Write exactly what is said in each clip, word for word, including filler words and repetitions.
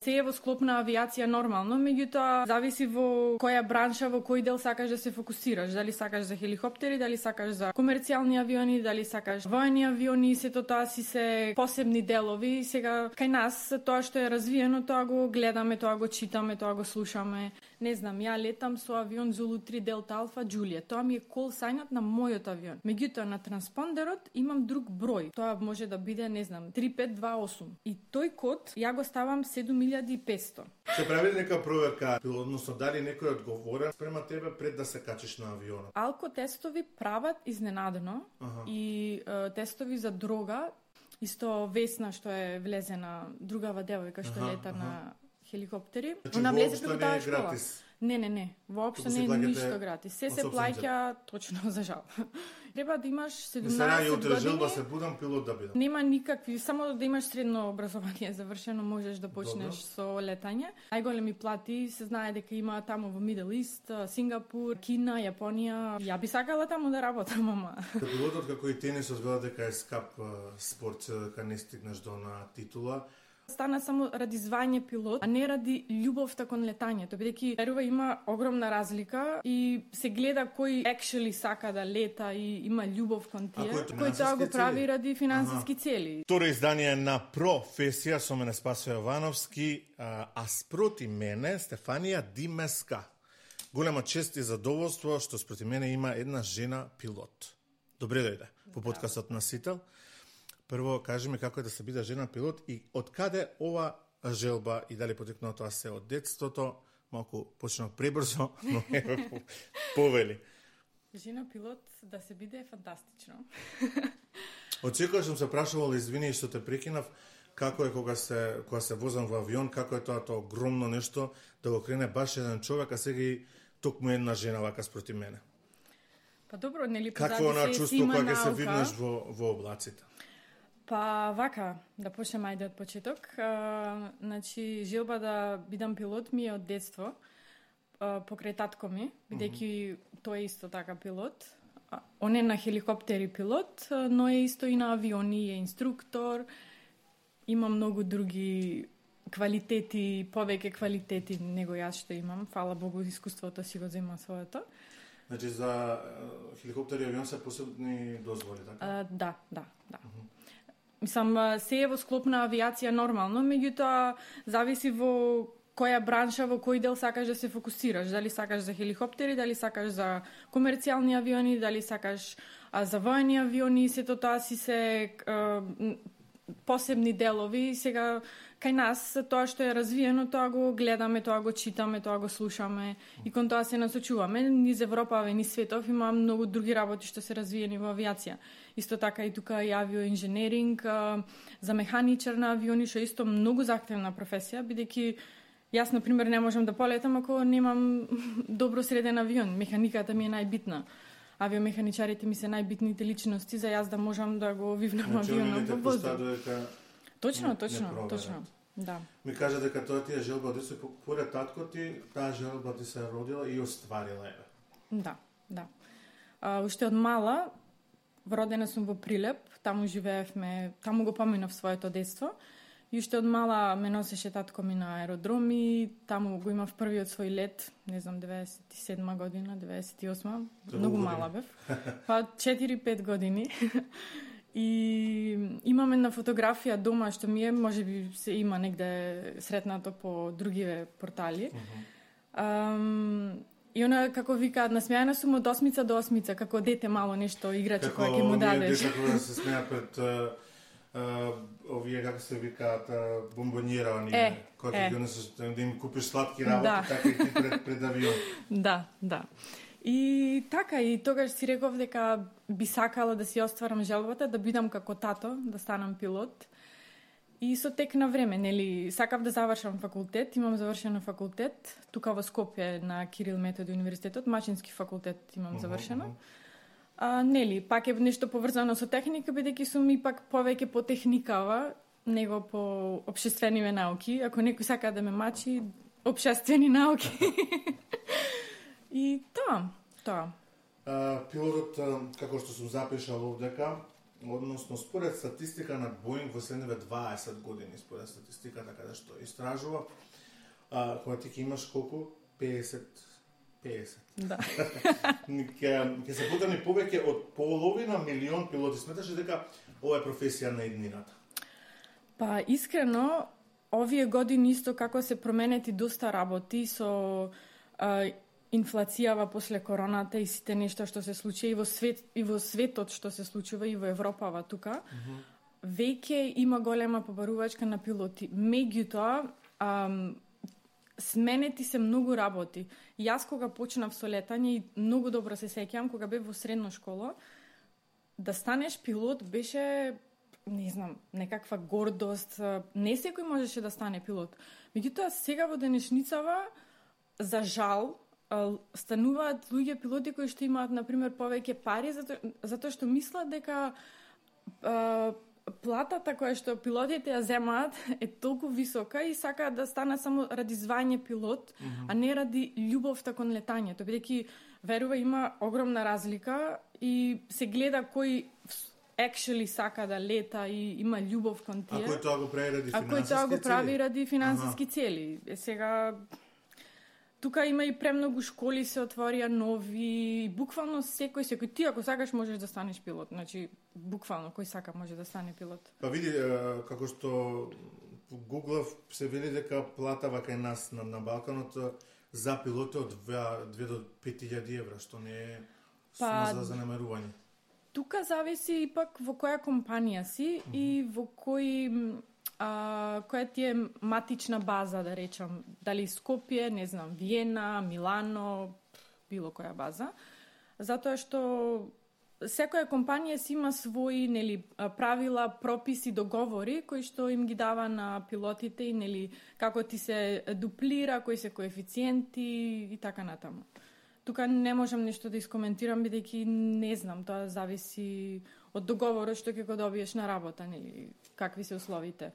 Се е во склоп на авиација нормално, меѓутоа зависи во која бранша, во кој дел сакаш да се фокусираш. Дали сакаш за хеликоптери, дали сакаш за комерцијални авиони, дали сакаш воени авиони, сето тоа си се посебни делови. Сега кај нас тоа што е развиено, тоа го гледаме, тоа го читаме, тоа го слушаме. Не знам, ја летам со авион Zulu три Delta Alpha Juliet. Тоа ми е кол сајнот на мојот авион. Меѓутоа на транспондерот имам друг број. Тоа може да биде, не знам, три пет два осум. И тој код ја го ставам седум илјади и петсто. Се прави нека проверка, односно дали некој одговорен спрема тебе пред да се качиш на авионот? Алкотестови прават изненадено. Ага. И е, тестови за дрога, исто Весна што е влезена, другава девојка што ага, лета ага. на хеликоптери. Значи, она влезе преку таа школа. Гратис. Не, не, не. Воопшто не е ништо гратис. Се се плаќа точно за жал. Треба да имаш седумнаесет години. Мислам, желба се будам пилот да бидам. Нема никакви, само да имаш средно образование завршено, можеш да почнеш Добро. Со летање. Најголеми плати се знае дека има таму во Middle East, Сингапур, Кина, Јапонија. Ја би сакала таму да работам, ама. Пилотот како и тенисот велат дека е скап спорт, дека не стигнеш до на титула. Стана само ради звање пилот, а не ради љубовта кон летањето, бидејќи верува има огромна разлика и се гледа кој actually сака да лета и има љубов кон тие, кој тоа го прави ради финансиски ага. цели. Второ издание на Професија со мене Спасо Јовановски, а, а спроти мене Стефанија Димеска. Голема чест и задоволство што спроти мене има една жена пилот. Добре дојде во подкастот на Сител. Прво, кажи ми како е да се биде жена пилот и од каде ова желба и дали потекнува тоа се од детството, малку почнав пребрзо, но е повели. Жена пилот да се биде е фантастично. Од секојаш сум се прашувал, извини што те прекинав, како е кога се кога се возам во авион, како е тоа тоа огромно нешто да го крене баш еден човек, а сега и токму една жена вака спроти мене. Па добро, нели позади се има наука. Какво е чувство кога се виднеш во во облаците? Па вака, да почнем ајде од почеток. А, значи, желба да бидам пилот ми е од детство, а, покрај татко ми, бидејќи mm -hmm. тој е исто така пилот. А, он е на хеликоптери пилот, но е исто и на авиони, е инструктор, има многу други квалитети, повеќе квалитети него јас што имам. Фала Богу, искуството си го зема своето. Значи, за хеликоптери и авион се посебни дозволи, така? А, да, да, да. Mm -hmm. Мислам, се е во склоп на авиација нормално, меѓутоа зависи во која бранша, во кој дел сакаш да се фокусираш. Дали сакаш за хеликоптери, дали сакаш за комерцијални авиони, дали сакаш а, за воени авиони, сето тоа си се а, посебни делови. Сега кај нас тоа што е развиено, тоа го гледаме, тоа го читаме, тоа го слушаме и кон тоа се насочуваме. Низ Европа, низ светов има многу други работи што се развиени во авиација. Исто така и тука и авиоинженеринг, за механичар на авиони, што исто многу захтевна професија, бидејќи јас, на пример, не можам да полетам ако немам добро среден авион. Механиката ми е најбитна. Авиомеханичарите ми се најбитните личности за јас да можам да го вивнам авионот во воздух. Точно, точно, точно. Да. Ми кажа дека тоа ти е желба да се поред татко ти, таа желба ти се родила и остварила е. Да, да. А, уште од мала, родена сум во Прилеп, таму живеевме, таму го поминав своето детство. И уште од мала ме носеше татко ми на аеродроми, таму го имав првиот свој лет, не знам, деветдесет и седма година, деветдесет и осма, многу мала бев. Па четири-пет години. И имаме на фотографија дома што ми е, можеби се има негде сретнато по другиве портали. Uh-huh. Um, и она, како викаат, насмејана сум од осмица до осмица, како дете мало нешто играче кој ќе му дадеш. Како овие деца се смеат пред uh, uh, овие, како се викаат, uh, бомбонјера, оние, е, кои ќе донесеш да им купиш сладки работи, да. Така и ти пред, пред авион. Да, да. И така, и тогаш си реков дека би сакала да си остварам желбата, да бидам како тато, да станам пилот. И со тек на време, нели, сакав да завршам факултет, имам завршено факултет, тука во Скопје на Кирил Методи универзитетот, машински факултет имам завршено. А, нели, пак е нешто поврзано со техника, бидејќи сум ипак повеќе по техникава, него по општествениве науки. Ако некој сака да ме мачи, општествени науки. И тоа, тоа. А, пилотот, како што сум запишал овдека, односно според статистика на Боинг во следниве дваесет години, според статистиката каде што истражува, а, кога ти ќе имаш колку? пеесет пеесет Да. Ќе ќе се потребни повеќе од половина милион пилоти. Сметаш ли дека ова е професија на иднината? Па искрено, овие години исто како се променети доста работи со а, инфлацијава после короната и сите нешта што се случи и во свет и во светот што се случува и во Европава тука. Mm-hmm. Веќе има голема побарувачка на пилоти. Меѓутоа, ам, сменети се многу работи. Јас кога почнав со летање и многу добро се сеќавам кога бев во средна школа, да станеш пилот беше, не знам, некаква гордост. Не секој можеше да стане пилот. Меѓутоа сега во денешницава, за жал, стануваат луѓе пилоти кои што имаат на пример повеќе пари затоа затоа што мислат дека а, платата која што пилотите ја земаат е толку висока и сакаат да станат само ради звање пилот, mm-hmm. а не ради љубовта кон летањето, бидејќи верува има огромна разлика и се гледа кој actually сака да лета и има љубов кон тие. А кој тоа го прави ради финансиски цели? А кој тоа го прави ради финансиски ага. цели. Е, сега тука има и премногу школи се отворија нови, буквално секој секој ти ако сакаш можеш да станеш пилот. Значи буквално кој сака може да стане пилот. Па види како што Google се вели дека платава кај нас на, на Балканот за пилоти од две до пет илјади евра, што не е сума па, за занемарување. Тука зависи ипак во која компанија си mm-hmm. и во кој а, која ти е матична база, да речам. Дали Скопје, не знам, Виена, Милано, било која база. Затоа што секоја компанија си има своји нели правила, прописи, договори кои што им ги дава на пилотите и нели како ти се дуплира, кои се коефициенти и така натаму. Тука не можам нешто да искоментирам бидејќи не знам, тоа зависи од договорот што ќе го добиеш на работа, нели какви се условите.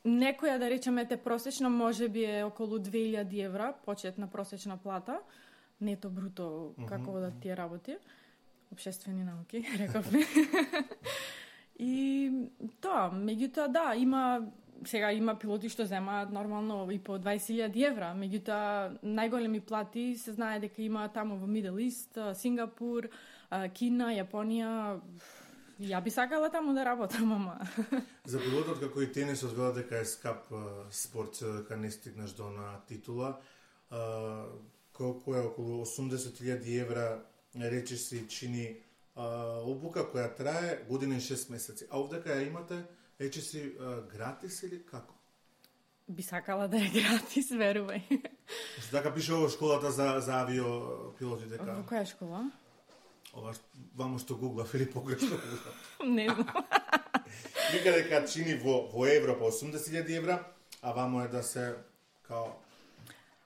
Некоја да речеме те просечна можеби е околу две илјади евра, почетна просечна плата, нето бруто како mm-hmm. да тие работи. Обшествени науки, рековме. И тоа, меѓутоа да, има сега има пилоти што земаат нормално и по дваесет илјади евра, меѓутоа најголеми плати се знае дека има таму во Middle East, Сингапур, Кина, Јапонија. Ја би сакала таму да работам, ама. За пилотот како и тенисот велат дека е скап спорт, дека не стигнеш до на титула, колку е околу осумдесет илјади евра, рече си чини обука која трае година и шест месеци. А овдека ја имате, рече си гратис или како? Би сакала да е гратис, верувај. Што така пише во школата за, за авиопилоти дека? Во која школа? Ова вамо што гуглав или погрешно гуглав. Не знам. Вика дека чини во, во Европа осумдесет илјади евра, а вамо е да се као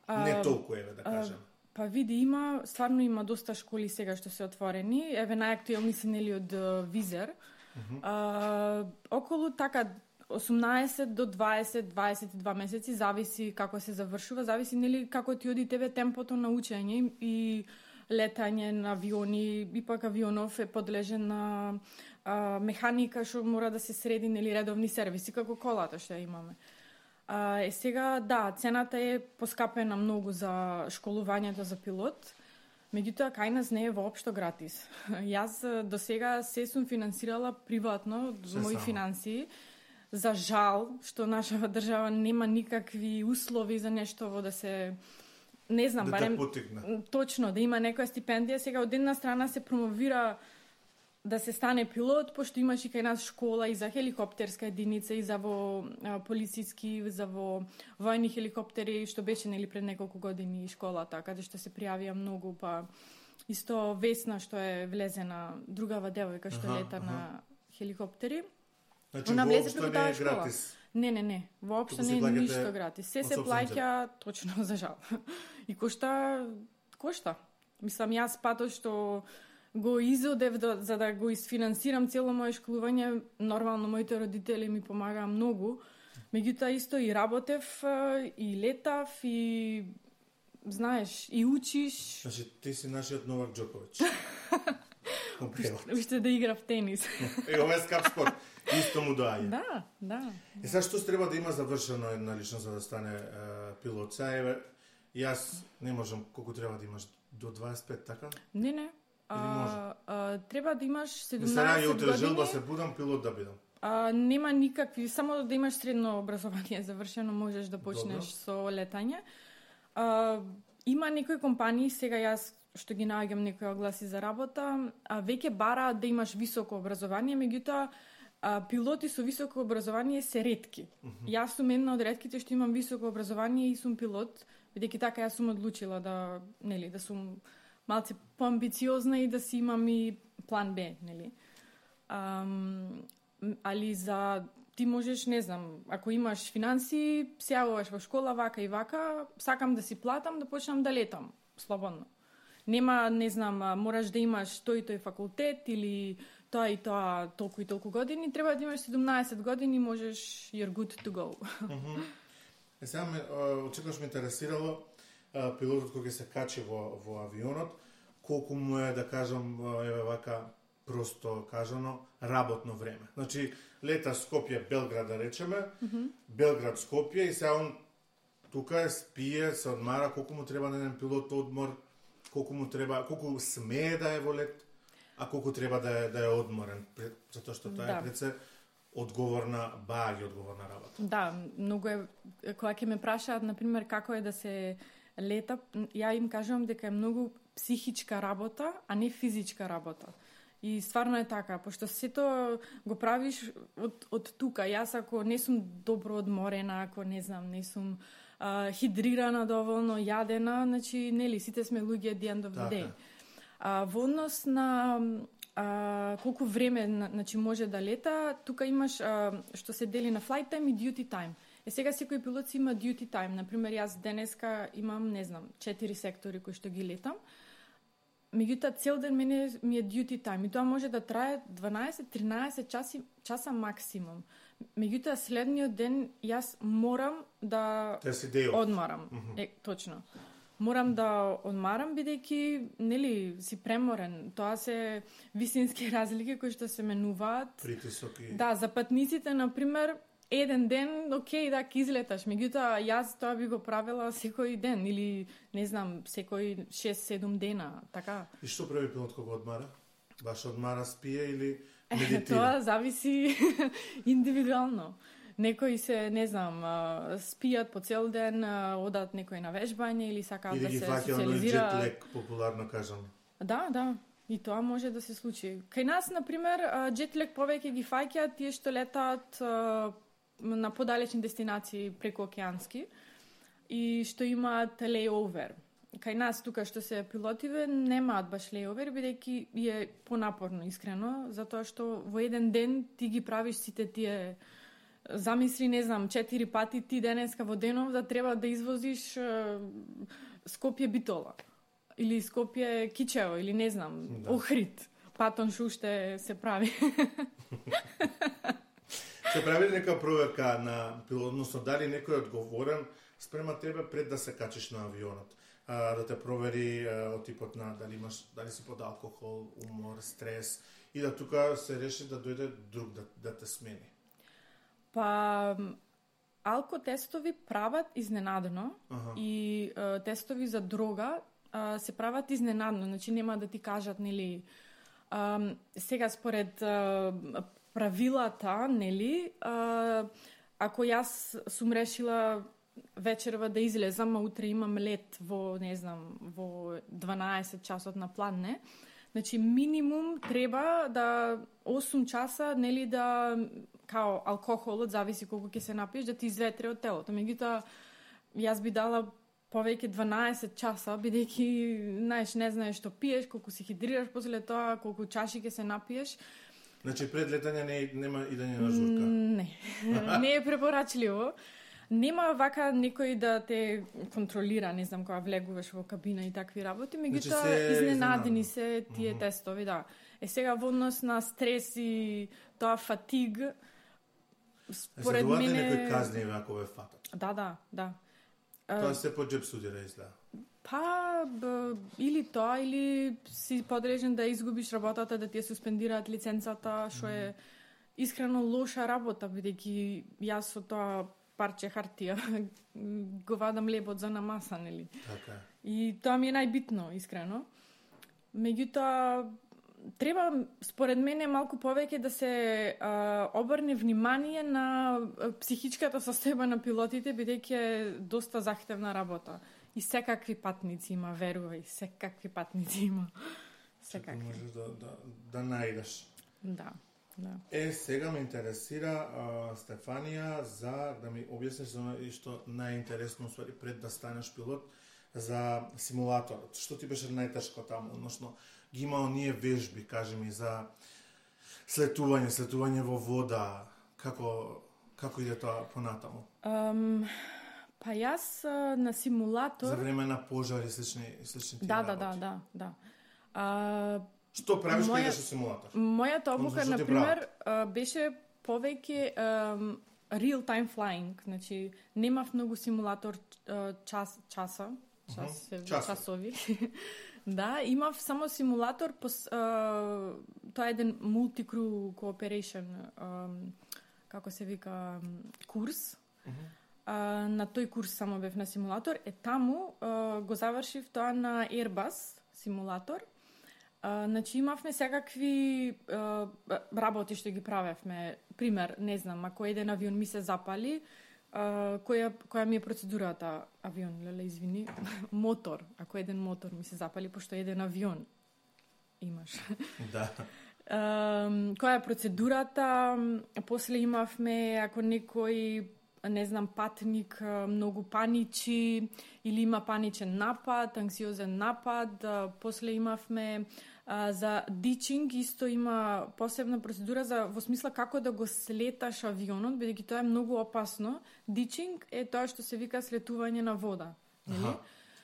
не толку еве да кажем. А, па види, има, стварно има доста школи сега што се отворени. Еве најактуелни се нели од Визер. Uh-huh. А, околу така осумнаесет до дваесет, дваесет и два месеци, зависи како се завршува, зависи нели како ти оди тебе темпото на учење и летање на авиони, ипак авионов е подлежен на а, механика што мора да се среди нели редовни сервиси како колата што имаме. А, е сега да, цената е поскапена многу за школувањето за пилот. Меѓутоа, кај нас не е воопшто гратис. Јас до сега се сум финансирала приватно, од мои финансии. За жал, што нашава држава нема никакви услови за нешто во да се... Не знам, да барем... Точно, да има некоја стипендија. Сега, од една страна се промовира да се стане пилот, пошто имаш и кај нас школа и за хеликоптерска единица, и за во а, полициски, за во војни хеликоптери, што беше нели пред неколку години школата, каде што се пријавија многу, па исто Весна што е влезена, другава девојка што аха, лета аха. на хеликоптери. Значи, она влезе преку таа школа. Гратис. Не, не, не. Воопшто не е ништо гратис. Се се плаќа точно за жал. И кошта кошта. Мислам, јас патот што го изодев до, за да го изфинансирам цело моје школување, нормално моите родители ми помагаа многу. Меѓутоа исто и работев, и летав, и знаеш, и учиш. Значи, ти си нашиот Новак Џоковиќ. Како превод. Уште да игра в тенис. Е, ова е скап спорт. Исто му доаѓа. Да, да. Е, сега што треба да има завршено една личност за да стане е, пилот? Сега, еве, јас не можам, колку треба да имаш? До дваесет и пет, така? Не, не. А, а, треба да имаш седумнаесет години. години. Сега ја утре желба се будам пилот да бидам. А, нема никакви, само да имаш средно образование завршено, можеш да почнеш Добро. Со летање. А, има некои компании, сега јас што ги наоѓам некои огласи за работа, а веќе бара да имаш високо образование, меѓутоа а, пилоти со високо образование се ретки. Mm -hmm. Јас сум една од ретките што имам високо образование и сум пилот, бидејќи така јас сум одлучила да, нели, да сум малце поамбициозна и да си имам и план Б, нели. Ам, али за ти можеш, не знам, ако имаш финанси, се јавуваш во школа вака и вака, сакам да си платам, да почнам да летам слободно. Нема, не знам, мораш да имаш тој и тој факултет или тоа и тоа толку и толку години, треба да имаш седумнаесет години, можеш you're good to go. Mm-hmm. Е, сега ме, очекуваш ме интересирало пилотот кој ќе се качи во, во авионот, колку му е, да кажам, еве вака, просто кажано, работно време. Значи, лета Скопје, Белград, да речеме, mm-hmm. Белград, Скопје, и сега он тука е, спие, се одмара, колку му треба на еден пилот одмор, колку му треба, колку смее да е во лет, а колку треба да е, да е одморен, затоа што тоа да. Е пред се одговорна, баги одговорна работа. Да, многу е, кога ќе ме прашаат, например, како е да се лета, ја им кажувам дека е многу психичка работа, а не физичка работа. И стварно е така, пошто сето го правиш од, од тука. Јас ако не сум добро одморена, ако не знам, не сум а, хидрирана доволно, јадена, значи, нели, сите сме луѓе the end of the day. А, во однос на а, колку време значи, може да лета, тука имаш а, што се дели на flight time и duty time. Е, сега секој пилот си има duty time. Например, јас денеска имам, не знам, четири сектори кои што ги летам. Меѓутоа, цел ден мене ми е duty time и тоа може да трае дванаесет до тринаесет часи, часа максимум. Меѓутоа, следниот ден јас морам да одмарам. Mm-hmm. Е, точно. Морам да одмарам, бидејќи, нели, си преморен. Тоа се висински разлики кои што се менуваат. Притисок и... Да, за патниците, например, еден ден, окей, да, ке излеташ. Меѓутоа, јас тоа би го правила секој ден, или, не знам, секој шест-седум дена, така. И што прави пилот кога одмара? Баш одмара, спие или медитира? Тоа зависи индивидуално. Некои се, не знам, спијат по цел ден, одат некои на вежбање или сакаат да се социализираат. Или ги фаќа оној джетлек, популарно кажам. Да, да. И тоа може да се случи. Кај нас, например, джетлек повеќе ги фаќаат тие што летаат на подалечни дестинации преку океански и што имаат лейовер. Кај нас тука што се пилотиве немаат баш лейовер, бидејќи е понапорно, искрено, затоа што во еден ден ти ги правиш сите тие, замисли, не знам, четири пати ти денеска во денов да треба да извозиш Скопје Битола или Скопје Кичево или не знам, да. Охрид. Патон шуште се прави. Се прави нека проверка на пилот, односно дали некој е одговорен спрема тебе пред да се качиш на авионот, а, да те провери а, од типот на дали имаш, дали си под алкохол, умор, стрес и да тука се реши да дојде друг да, да те смени. Па алкотестови прават изненадно ага. И а, тестови за дрога а, се прават изненадно, значи нема да ти кажат, нели, а, сега според а, правилата, нели, а, ако јас сум решила вечерва да излезам, а утре имам лет во, не знам, во дванаесет часот на план, не? Значи, минимум треба да осум часа, нели, да, као алкохолот, зависи колку ќе се напиеш, да ти изветре од телото. Меѓутоа, јас би дала повеќе дванаесет часа, бидејќи, знаеш, не знаеш што пиеш, колку се хидрираш после тоа, колку чаши ќе се напиеш. Значи, пред летање не, нема идење на журка? Не, не е препорачливо. Нема вака некој да те контролира, не знам, кога влегуваш во кабина и такви работи, меѓутоа значи изненадени се тие mm-hmm. тестови, да. Е сега во однос на стрес и тоа фатиг, според мене... Е, некои казни ако ве фатат? Да, да, да. Тоа се по джеб студира изгледа. Па, б, или тоа, или си подрежен да изгубиш работата, да ти ја суспендираат лиценцата, што е искрено лоша работа, бидејќи јас со тоа парче хартија го вадам лебот за намаса, нели? Така. И тоа ми е најбитно, искрено. Меѓутоа, треба, според мене, малку повеќе да се а, обрне внимание на психичката состојба на пилотите, бидејќи е доста захтевна работа. И секакви патници има, верувај, секакви патници има. Секакви. Можеш да, да, да најдеш. Да, да. Е, сега ме интересира, а, Стефанија, за да ми објасниш за оно што најинтересно, ствари, пред да станеш пилот, за симулаторот. Што ти беше најтешко таму, односно ги има оние вежби, кажи ми, за слетување, слетување во вода, како како иде тоа понатаму? Um, па јас а, на симулатор... За време на пожари, слични, слични тие Да, да, работи. да, да, да. А, Што правиш кога моја- идеш во симулатор? Мојата обука, Односно, што ти например, а, беше повеќе um, real-time flying, значи немав многу симулатор а, час, часа, час, Мгм. uh Часови. часови. Да, имав само симулатор, пос, а, тоа е еден multi-crew cooperation, а, како се вика, курс. Мгм. А, на тој курс само бев на симулатор, е таму а, го завршив тоа на Airbus симулатор. А, значи имавме секакви а, работи што ги правевме. Пример, не знам, ако еден авион ми се запали, а, која која ми е процедурата авион, леле извини, мотор, ако еден мотор ми се запали, пошто еден авион имаш. Да. Um, која е процедурата? После имавме, ако некој, не знам, патник а, многу паничи или има паничен напад, анксиозен напад, а, после имавме а, за дичинг, исто има посебна процедура за во смисла како да го слеташ авионот, бидејќи тоа е многу опасно. Дичинг е тоа што се вика слетување на вода, нели? Аха.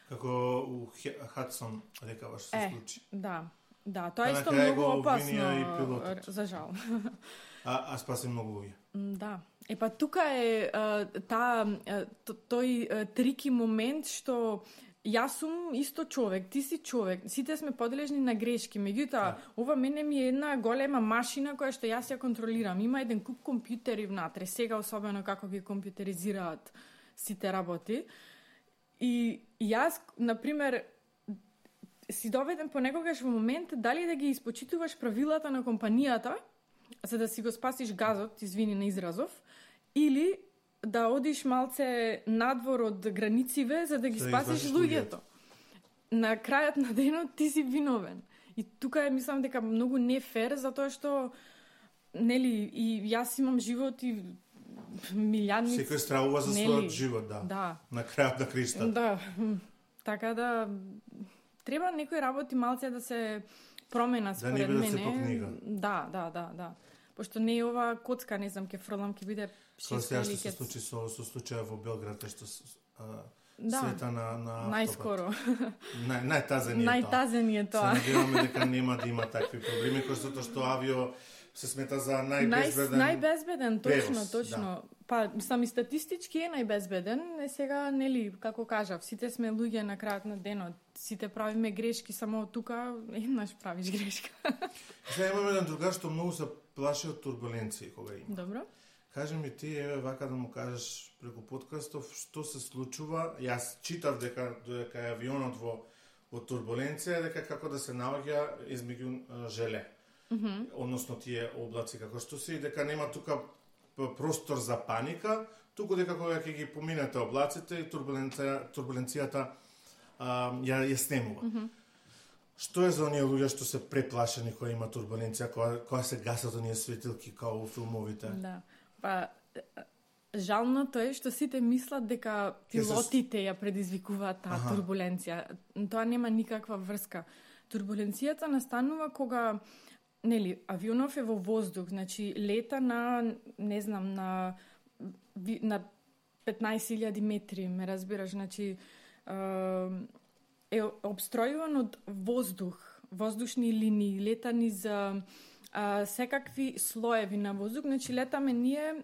Како у Хе- Хадсон рекаваш се Е, случи. Да, да, тоа Па е на исто крај многу го опасно, обвинија и пилотот. за жал. А, а спаси многу луѓе. М, Да. Е па тука е а, таа а, т- тој а, трики момент што јас сум исто човек, ти си човек, сите сме подележни на грешки, меѓутоа ова мене ми е една голема машина која што јас ја контролирам. Има еден куп компјутери внатре, сега особено како ги компјутеризираат сите работи. И јас, например, си доведен понекогаш во момент дали да ги испочитуваш правилата на компанијата, за да си го спасиш газот, извини на изразов, или да одиш малце надвор од границиве за да ги За да спасиш извадиш луѓето. На крајот на денот ти си виновен. И тука е, мислам дека многу не фер, затоа што нели и јас имам живот и милијадници. Секој стравува за нели? својот живот, да. Да. На крајот на кришта. Да. Така да треба некои работи малце да се промена Да не според бидат мене. се по книга. Да, да, да, да. Пошто не е ова коцка, не знам, ке фрлам, ке биде Тоа шест сега што или се ке... случи со, со случаја во Белград, кај што с- а, Да. света на, на автопат. Најскоро. Нај, најтазен е тоа. Најтазен е тоа. Се надеваме дека нема да има такви проблеми, кој затоа што авио се смета за Нај, најбезбеден. најбезбеден, точно, превоз, точно. Па, мислам, и статистички е најбезбеден. Е сега, нели, како кажав, сите сме луѓе на крајот на денот. Сите правиме грешки, само тука еднаш правиш грешка. Сега имаме еден другар што многу се плаши од турбуленции кога има. Добро. Кажи ми ти, еве, вака да му кажеш преку подкастов, што се случува. Јас читав дека дека е авионот во во турбуленција, дека како да се наоѓа измеѓу а, желе. Mm -hmm. Односно тие облаци како што се и дека нема тука п- простор за паника, туку дека кога ќе ги поминете облаците и турбуленција, турбуленцијата а, ја ја снемува. Mm -hmm. Што е за оние луѓе што се преплашени кога има турбуленција, кога, кога се гасат оние светилки као во филмовите? Да. Па, жалното е што сите мислат дека пилотите ја предизвикуваат таа Аха. турбуленција. Тоа нема никаква врска. Турбуленцијата настанува кога нели авионов е во воздух, значи лета на не знам на ви- на петнаесет илјади метри, ме разбираш, значи е обстројуван од воздух, воздушни линии, лета низ а, секакви слоеви на воздух, значи летаме ние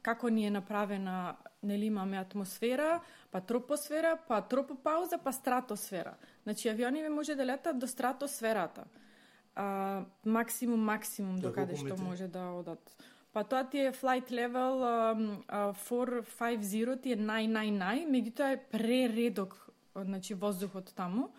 како ни е направена нели имаме атмосфера, па тропосфера, па тропопауза, па стратосфера. Значи авиони може да летат до стратосферата. А, максимум, максимум до каде што може да одат. Па тоа ти е flight level um, uh, четиристотини и петдесет ти е нај, нај, нај, меѓутоа е прередок, значи воздухот таму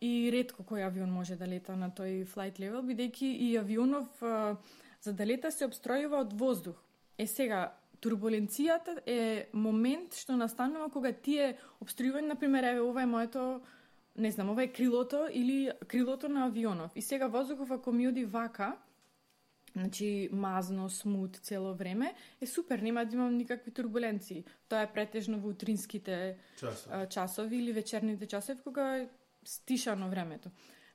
и ретко кој авион може да лета на тој flight level, бидејќи и авионов uh, за да лета се обстројува од воздух. Е сега, турбуленцијата е момент што настанува кога тие обстројување, например, еве ова е моето, не знам, ова е крилото или крилото на авионов. И сега воздухов ако ми оди вака, значи мазно, смут цело време, е супер, нема да имам никакви турбуленции. Тоа е претежно во утринските часови, часови или вечерните часови кога е стишано времето.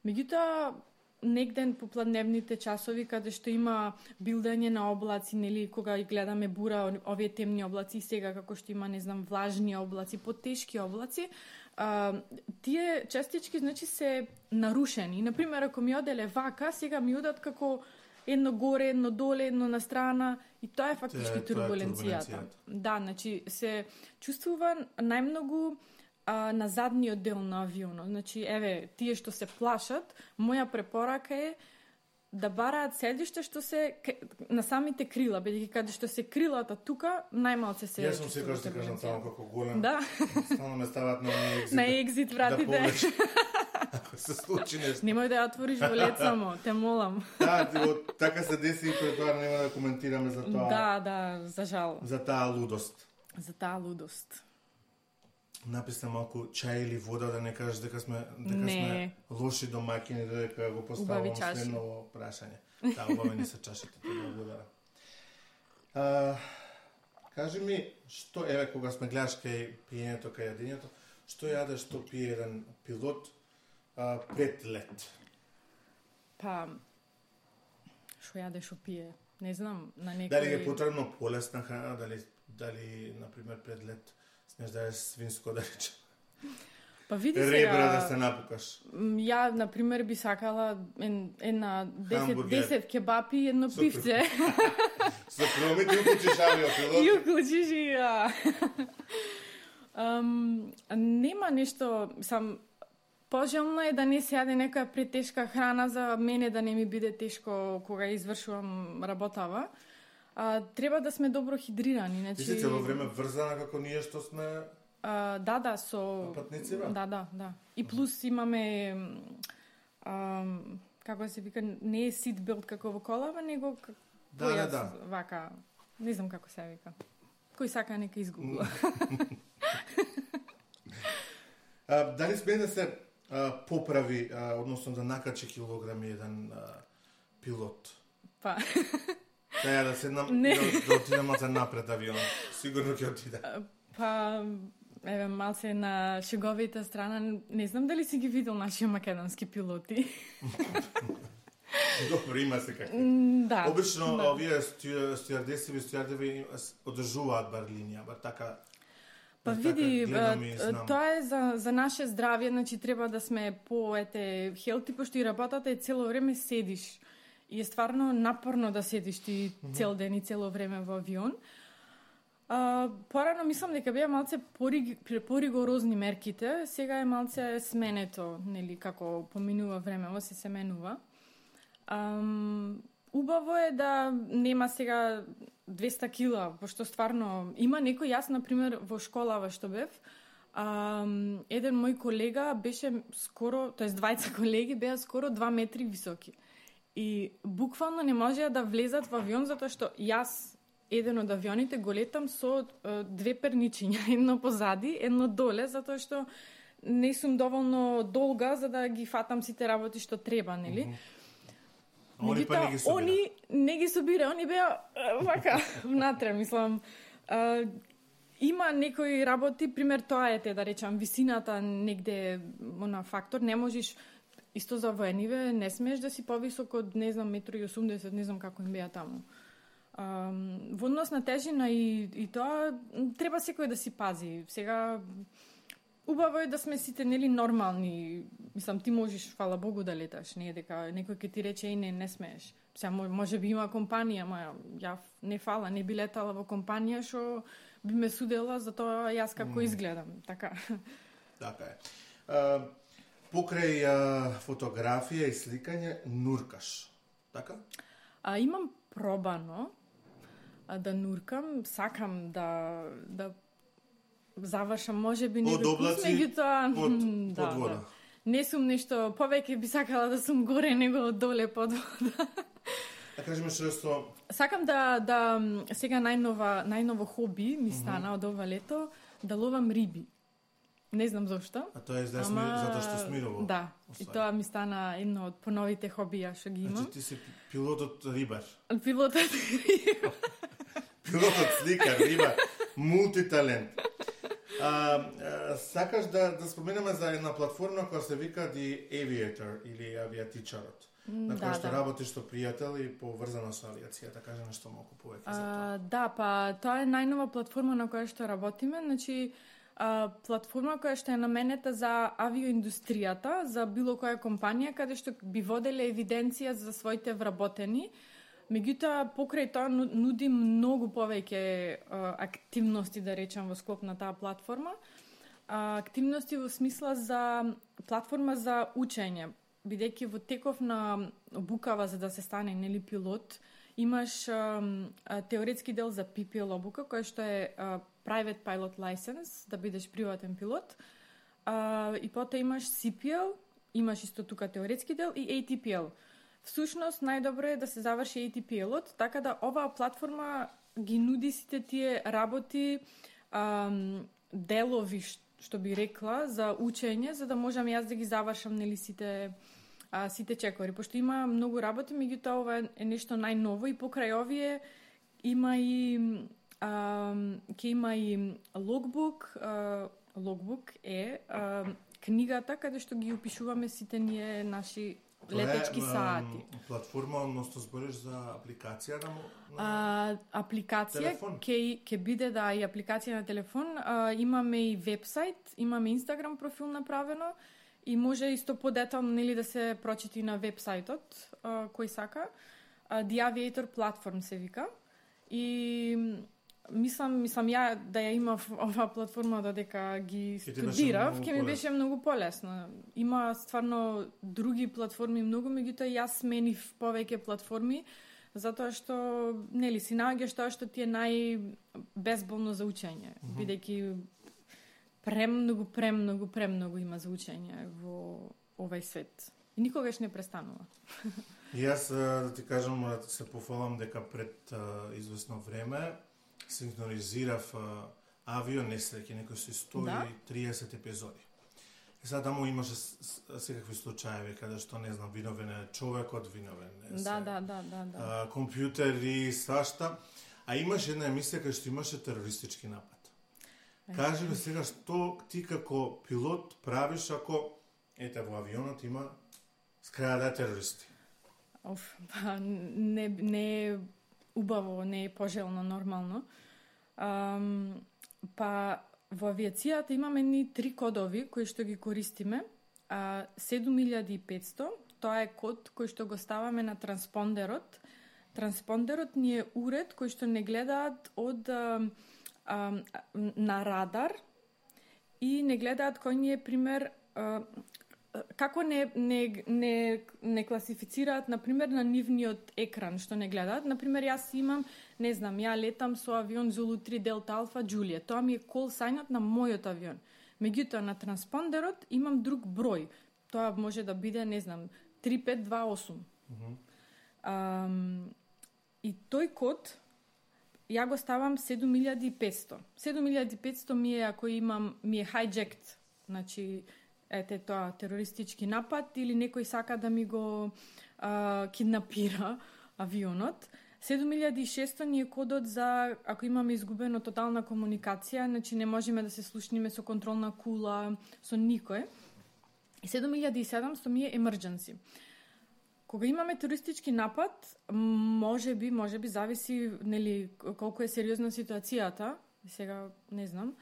Меѓутоа, негден по пладневните часови каде што има билдање на облаци, нели кога и гледаме бура, овие темни облаци, сега како што има, не знам, влажни облаци, потешки облаци, а, тие частички значи се нарушени. Например, ако ми оделе вака, сега ми одат како едно горе, едно доле, едно на страна и тоа е фактички Те, турбуленцијата. Тоа е да, значи се чувствува најмногу а, на задниот дел на авионот. Значи, еве, тие што се плашат, моја препорака е да бараат седиште што се на самите крила, бидејќи каде што се крилата тука, најмалце се... Јас сум секогаш ти кажам само како голем. Да. Стално ме стават на екзит. На екзит вратите. Да ако се случи нешто. Немој да ја отвориш во лед само, те молам. Да, така се деси и пред тоа нема да коментираме за тоа. Да, да, за жал. За таа лудост. За таа лудост. Написна малку чај или вода, да не кажеш дека сме дека не. сме лоши домаќини, дека го поставувам следно прашање. Да, убавени се чашите, тоа да благодарам. А, кажи ми, што еве кога сме гледаш кај пиењето, кај јадењето, што јаде, што пие еден пилот а, пред лет? Па, што јаде, што пие? Не знам, на некој... Дали е потребно полесна храна, дали, дали например, пред лет смеш да е свинско, да речем? Па види Ребра сега... да се напукаш. Ја, например, би сакала една десет кебапи и едно Супер. Пивце. Со промите уклучиш авиопилот. И уклучиш и ја. Um, нема нешто, сам пожелно е да не се јаде некоја претешка храна за мене да не ми биде тешко кога извршувам работава. А, треба да сме добро хидрирани, значи. Ти си цело време врзана како ние што сме а, да, да, со патници, ба? Да, да, да. И плюс имаме а, како се вика, не е сит билд како во колава, него да, да, да. Вака, не знам како се вика. Кој сака нека изгугла. А, дали сме да се а, поправи, а, односно да накачи килограми еден а, пилот? Па. Таја да седнам да, да отидам малце напред авион. Сигурно ќе отида. Па, еве, малце на шеговите страна, не знам дали си ги видел наши македонски пилоти. Добро, има се како. Да. Обично, да. овие стюардеси и стюардеви одржуваат бар линија, бар така. Па види, тоа е за, за наше здравје, значи треба да сме по ете хелти, пошто и работата е цело време седиш. И е стварно напорно да седиш ти цел ден и цело време во авион. А, порано мислам дека беа малце поригорозни мерките, сега е малце сменето, нели, како поминува време, се се менува. Ам, убаво е да нема сега двеста кила, пошто стварно има некој, јас например во школава што бев, ам, еден мој колега беше скоро, тоест двајца колеги беа скоро два метри високи. И буквално не можеа да влезат во авион затоа што јас еден од авионите го летам со е, две перничиња, едно позади, едно доле, затоа што не сум доволно долга за да ги фатам сите работи што треба, нели? Mm-hmm. Они па не ги собира. Они не ги собира, они беа вака внатре, мислам. А, има некои работи, пример тоа е те, да речам, висината негде на фактор, не можеш исто за воениве, не смееш да си повисок од, не знам, еден и осумдесет, не знам како им беа таму. А, во однос на тежина и, и тоа, треба секој да си пази. Сега, убаво е да сме сите, нели, нормални. Мислам, ти можеш, фала Богу, да леташ. Не е дека некој ќе ти рече и не, не смееш. Сега, може би има компанија, ма ја не фала, не би летала во компанија што би ме судела за тоа јас како mm. изгледам, така. Така е. А, покрај а, фотографија и сликање, нуркаш, така? А, имам пробано а, да нуркам, сакам да да завршам можеби некој курс, меѓутоа под, да, под вода. Да. Не сум нешто, повеќе би сакала да сум горе него доле под вода. Да кажеме што што сакам да да сега најнова најново хоби ми стана mm-hmm. од ова лето да ловам риби. Не знам зошто. А тоа е за Ама... затоа што смирово. Да. Освај. И тоа ми стана едно од поновите хобија што ги имам. Значи ти си пилотот рибар. Пилотот рибар. Пилотот сликар, рибар, мултиталент. А, а, сакаш да да споменеме за една платформа која се вика The Aviator или авиатичарот. На која да, што да. работиш со пријател и поврзана со авиацијата, кажа нешто малку повеќе за тоа. Да, па тоа е најнова платформа на која што работиме, значи а, платформа која што е наменета за авиоиндустријата, за било која компанија каде што би воделе евиденција за своите вработени. Меѓутоа, покрај тоа нуди многу повеќе а, активности, да речам, во склоп на таа платформа. А, активности во смисла за платформа за учење, бидејќи во теков на обукава за да се стане нели пилот, имаш а, а, теоретски дел за Пи Пи Ел обука, која што е а, Private Pilot License, да бидеш приватен пилот. А, и потоа имаш Си Пи Ел, имаш исто тука теоретски дел и Ей Ти Пи Ел. Всушност, најдобро е да се заврши Ей Ти Пи Ел-от, така да оваа платформа ги нуди сите тие работи, ам, делови, што би рекла, за учење, за да можам јас да ги завршам нели сите а, сите чекори. Пошто има многу работи, меѓутоа ова е нешто најново и покрај овие има и а, ке има и логбук, а, логбук е а, книгата каде што ги опишуваме сите ние наши летечки Тоа е, саати. Платформа, односно збориш за апликација на, на а, апликација ќе ќе биде да и апликација на телефон, а, имаме и вебсайт, имаме Инстаграм профил направено и може исто подетално нели да се прочити на вебсајтот, а, кој сака. А, The Aviator Platform се вика. И мислам, мислам ја да ја имав оваа платформа додека ги студирав, ќе ми беше многу полесно. Има стварно други платформи многу, меѓутоа јас сменив повеќе платформи, затоа што нели си наоѓаш тоа што ти е најбезболно за учење, mm -hmm. бидејќи премногу, премногу, премногу има за учење во овај свет. И никогаш не престанува. И јас, да ти кажам, мора да се пофалам дека пред а, известно време синхронизирав а, авио несреќи, некои со сто и триесет епизоди. И сега таму имаше секакви случаеви каде што, не знам, виновен е човекот, виновен е да, да, да, да, да. А, компјутери, свашта. А имаше една емисија кај што имаше терористички напад. Кажи ми сега што ти како пилот правиш ако ете во авионот има скрада терористи? Оф, па не не е убаво, не е пожелно нормално. Um, па во авиацијата имаме ни три кодови кои што ги користиме. Uh, седум илјади и петсто, тоа е код кој што го ставаме на транспондерот. Транспондерот ни е уред кој што не гледаат од uh, uh, на радар и не гледаат кој ни е пример uh, како не, не, не, не класифицираат, например, на нивниот екран, што не гледаат. Например, јас имам, не знам, ја летам со авион Зулу три Делта Алфа Джулија. Тоа ми е кол сајнот на мојот авион. Меѓутоа, на транспондерот имам друг број. Тоа може да биде, не знам, три пет два осум. Mm-hmm. Um, и тој код, ја го ставам седум илјади и петсто. седум илјади и петсто ми е, ако имам, ми е hijacked, значи, ете тоа, терористички напад или некој сака да ми го а, киднапира авионот. седум илјади и шесто ни е кодот за ако имаме изгубено тотална комуникација, значи не можеме да се слушниме со контролна кула, со никој. И седум илјади и седамсто ми е emergency. Кога имаме терористички напад, може би, може би зависи нели колку е сериозна ситуацијата, сега не знам.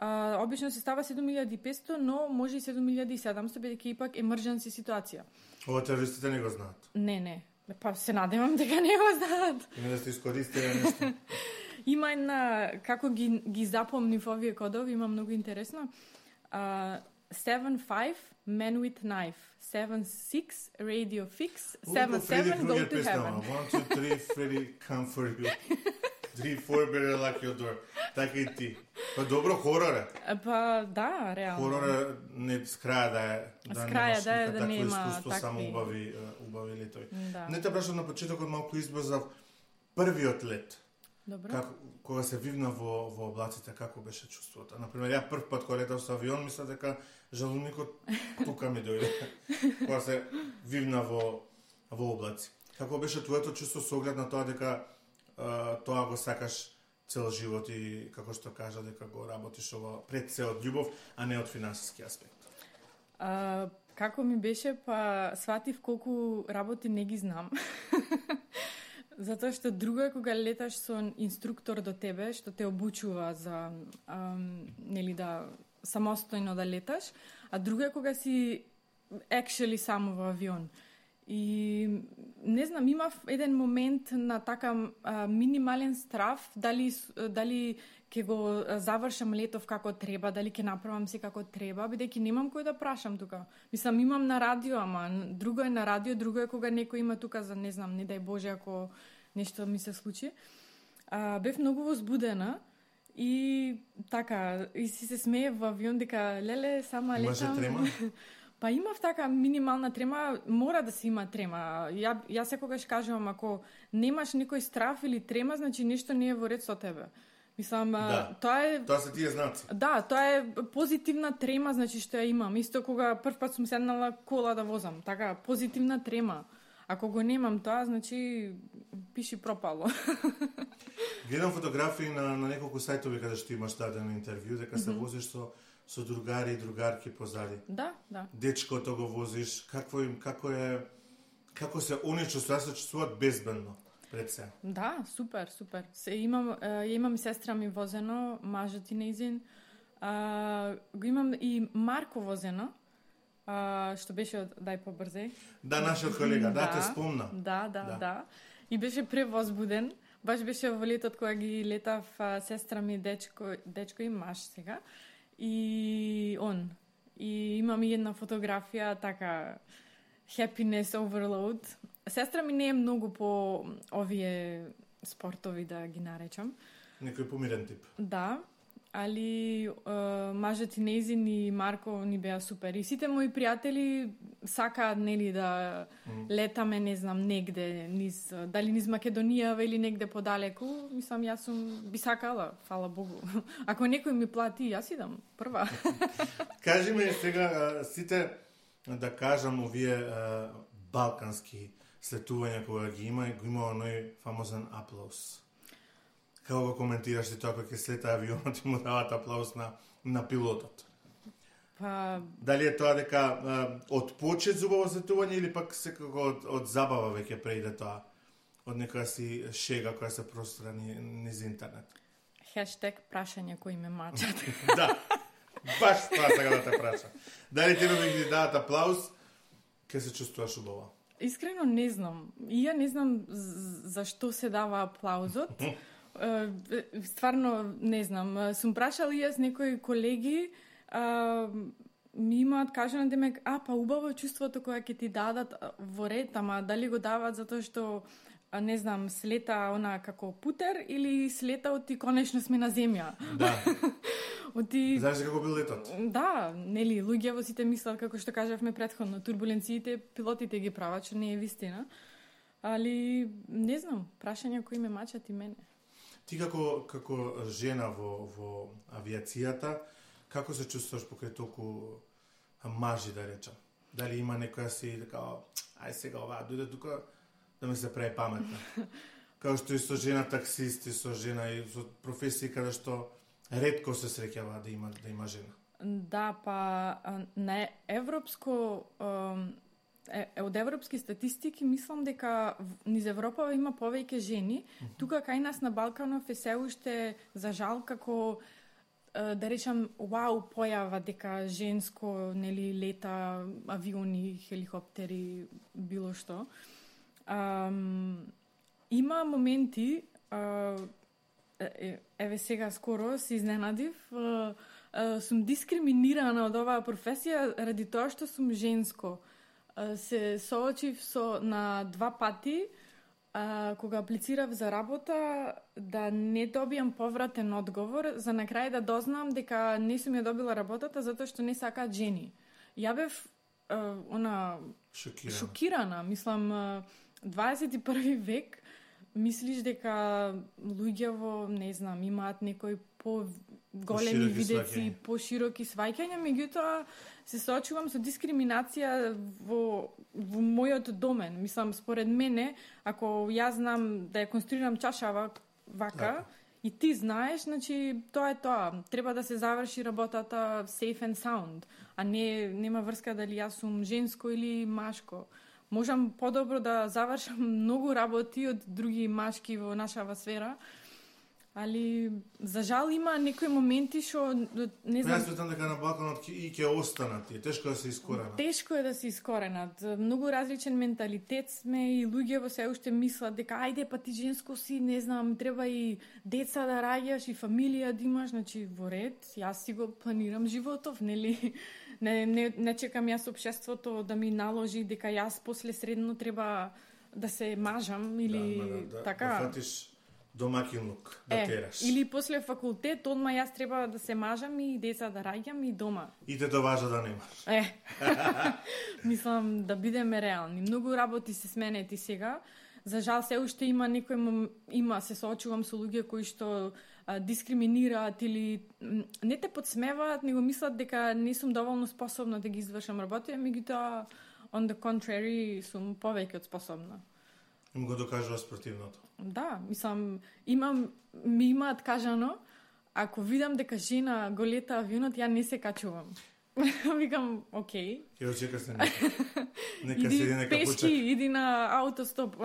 Uh, обично се става седум илјади и петсто, но може и седум илјади и седамсто, бидејќи ипак emergency ситуација. Ова терористите не го знаат? Не, не. Па се надевам дека не го знаат. Не да сте искористили нешто. Има една, како ги, ги запомнив овие кодови, има многу интересно. Uh, seven five, man with knife. seven six, radio fix. seven seven, go to heaven. one two three, Freddy, come for you. three four, better lock your door. Така и ти. Па добро, хорор е. Па да, реално. Хорор е не с краја да е, да краја да е, да нема нема искуство, такви... само убави, убави летови. Да. Не те прашам на почетокот малку избрзав првиот лет. Добро. Како, кога се вивна во, во облаците, како беше чувството? Например, ја прв пат кога летав со авион, мисля дека жалуникот тука ми дојде. Кога се вивна во, во облаци. Како беше твоето чувство со оглед на тоа дека а, тоа го сакаш цел живот и, како што кажа, дека го работиш ова пред се од љубов, а не од финансиски аспект? А, како ми беше, па сватив колку работи не ги знам. Затоа што друго е кога леташ со инструктор до тебе, што те обучува за ам, нели да самостојно да леташ, а друго е кога си actually само во авион. И не знам, имав еден момент на така а, минимален страв, дали дали ќе го завршам летов како треба, дали ќе направам се како треба, бидејќи немам кој да прашам тука. Мислам, имам на радио, ама друго е на радио, друго е кога некој има тука за, не знам, не дај Боже, ако нешто ми се случи. А, бев многу возбудена и така, и си се смее во авион дека, леле, сама летам. Имаше трема? Па имав така минимална трема, мора да се има трема. Ја, ја секогаш кажувам, ако немаш никој страф или трема, значи нешто не е во ред со тебе. Мислам, да. тоа е... Тоа се тие знаци. Да, тоа е позитивна трема, значи што ја имам. Исто кога прв пат сум седнала кола да возам. Така, позитивна трема. Ако го немам тоа, значи пиши пропало. Гледам фотографии на, на неколку сајтови каде што имаш дадено интервју, дека се mm-hmm. возиш со со другари и другарки позади. Да, да. Дечкото го возиш, какво им, како е, како се они чувствуваат, се чувствуваат безбедно пред се. Да, супер, супер. Се имам, е, имам и сестра ми возено, мажот и нејзин. А, го имам и Марко возено, а, што беше од Дај побрзеј. Да, нашиот колега, да, те спомна. Да, да, да, да. И беше превозбуден. Баш беше во летот кога ги летав а, сестра ми, дечко, дечко и маж сега. И он. И имам и една фотографија, така, happiness overload. Сестра ми не е многу по овие спортови, да ги наречам. Некој помирен тип. Да, али е, мажот и нејзин и Марко ни беа супер. И сите мои пријатели сакаат, нели, да mm. летаме, не знам, негде, низ, дали низ Македонија или негде подалеку. Мислам, јас сум би сакала, фала Богу. Ако некој ми плати, јас идам прва. Кажи ми сега, сите, да кажам, овие балкански слетувања кога ги има, го има оној фамозен аплауз. Како го коментираш ти тоа кога ќе слета авионот и му дават аплауз на, на пилотот? Па... Дали е тоа дека а, од почет зубаво слетување или пак секако од, од забава веќе преиде тоа? Од некоја си шега која се пространи низ интернет? Хештег прашање кои ме мачат. Да, баш тоа сега да те праша. Дали ти да ги дадат аплауз, ке се чувствуваш убаво? Искрено не знам. И ја не знам зашто се дава аплаузот. Стварно не знам. Сум прашала и јас некои колеги, а, ми имаат кажано демек, а па убаво чувството кога ќе ти дадат во ред, ама дали го дават затоа што не знам, слета она како путер или слета оти конечно сме на земја. Да. Оти... Знаеш како бил летот? Да, нели, луѓето сите мислат, како што кажавме претходно, турбуленциите пилотите ги прават, што не е вистина. Али, не знам, прашања кои ме мачат и мене. Ти како, како жена во, во авиацијата, како се чувствуваш покрај толку мажи, да речам? Дали има некоја си, дека, ај сега ова, дојде тука да ми се прави паметна. Како што и со жена таксисти, со жена и со професии каде што ретко се среќава да има да има жена. Да, па на европско е, од европски статистики мислам дека низ Европа има повеќе жени. Uh-huh. Тука кај нас на Балканов е се уште за жал како да речам вау појава дека женско нели лета авиони, хеликоптери, било што. Um, има моменти uh, еве сега скоро се изненадив, е, е, сум дискриминирана од оваа професија ради тоа што сум женско. Е, се соочив со на два пати, а, кога аплицирав за работа, да не добиам повратен одговор, за на крај да дознам дека не сум ја добила работата затоа што не сакаат жени. Ја бев е, она Шокирана. шокирана, мислам, е, дваесет и први век, мислиш дека луѓе во, не знам, имаат некои по-големи Пошироки видеци, сваќања. пошироки сваќања, меѓутоа се соочувам со дискриминација во, во мојот домен. Мислам, според мене, ако јас знам да ја конструирам чашава вака, Така. и ти знаеш, значи тоа е тоа. Треба да се заврши работата safe and sound, а не нема врска дали јас сум женско или машко. Можам подобро да завршам многу работи од други машки во нашава сфера, али за жал има некои моменти што не Јас знам, сметам дека на Балканот ќе- и ќе останат, и тешко да се искоренат. тешко е да се искоренат. Многу различен менталитет сме и луѓе во се уште мислат дека ајде па ти женско си, не знам, треба и деца да раѓаш и фамилија да имаш, значи во ред, јас си го планирам животов, нели? Не, не, не чекам јас општеството да ми наложи дека јас после средно треба да се мажам или да, да, да, така. Да фатиш домакинлук, да е, тераш. или после факултет, одма јас треба да се мажам и деца да раѓам и дома. И те доважа да немаш. Е, мислам да бидеме реални. Многу работи се сменети сега. За жал се уште има некој мом... има се соочувам со луѓе кои што а, дискриминираат или м, не те подсмеваат, него мислат дека не сум доволно способна да ги извршам работи, меѓутоа on the contrary сум повеќе од способна. Им го докажува спротивното. Да, мислам, имам, ми имаат кажано, ако видам дека жена го лета авионот, ја не се качувам. Викам, окей. Ќе очека се нека. Нека Иди седи, нека пешки, почека. иди на аутостоп.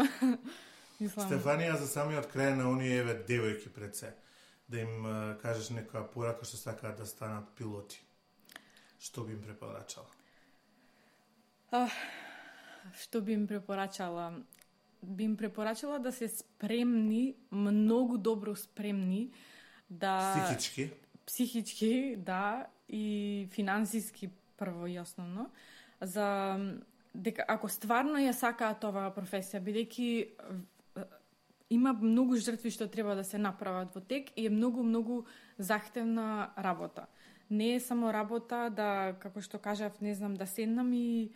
Мислам, Стефанија, за самиот крај на оние еве девојки пред се, да им а, кажеш некоја порака што сакаат да станат пилоти. Што би им препорачала? а, што би им препорачала? Би им препорачала да се спремни, многу добро спремни, да... Психички? Психички, да, и финансиски прво и основно, за дека ако стварно ја сакаат оваа професија, бидејќи има многу жртви што треба да се направат во тек и е многу многу захтевна работа. Не е само работа да, како што кажав, не знам, да седнам и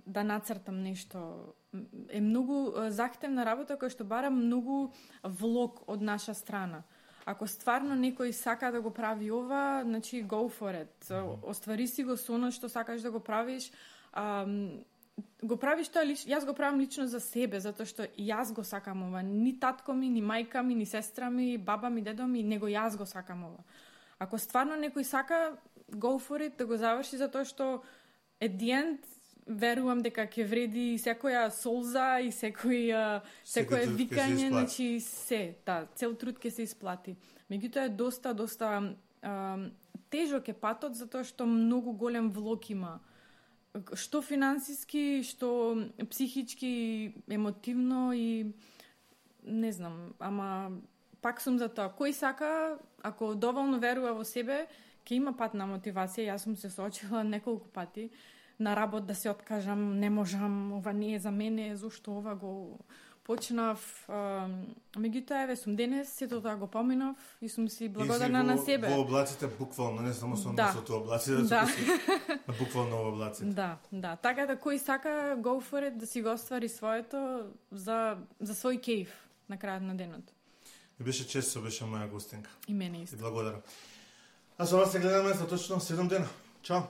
да нацртам нешто. Е многу е, захтевна работа која што бара многу влог од наша страна. Ако стварно некој сака да го прави ова, значи go for it. Оствари си го со оно што сакаш да го правиш. Ам, го правиш тоа лично, јас го правам лично за себе, затоа што јас го сакам ова. Ни татко ми, ни мајка ми, ни сестра ми, баба ми, дедо ми, него јас го сакам ова. Ако стварно некој сака, go for it, да го заврши, затоа што at the end верувам дека ќе вреди секоја солза и секој секое труд ќе се викање, исплати. значи се, да, цел труд ќе се исплати. Меѓутоа е доста доста а, тежок е патот затоа што многу голем влог има. Што финансиски, што психички, емотивно и не знам, ама пак сум за тоа. Кој сака, ако доволно верува во себе, ќе има пат на мотивација. Јас сум се соочила неколку пати на работ да се откажам, не можам, ова не е за мене, зошто ова го почнав. Меѓутоа, еве, сум денес, сето тоа го поминав и сум си благодарна на себе. Во облаците буквално, не само со Да. носото облаци, да, Да. да. буквално во облаците. Да, да. Така да кој сака, go for it, да си го оствари своето за, за свој кејф на крајот на денот. И беше често, беше моја гостинка. И мене И исто. благодарам. А со вас се гледаме за точно седум дена. Чао!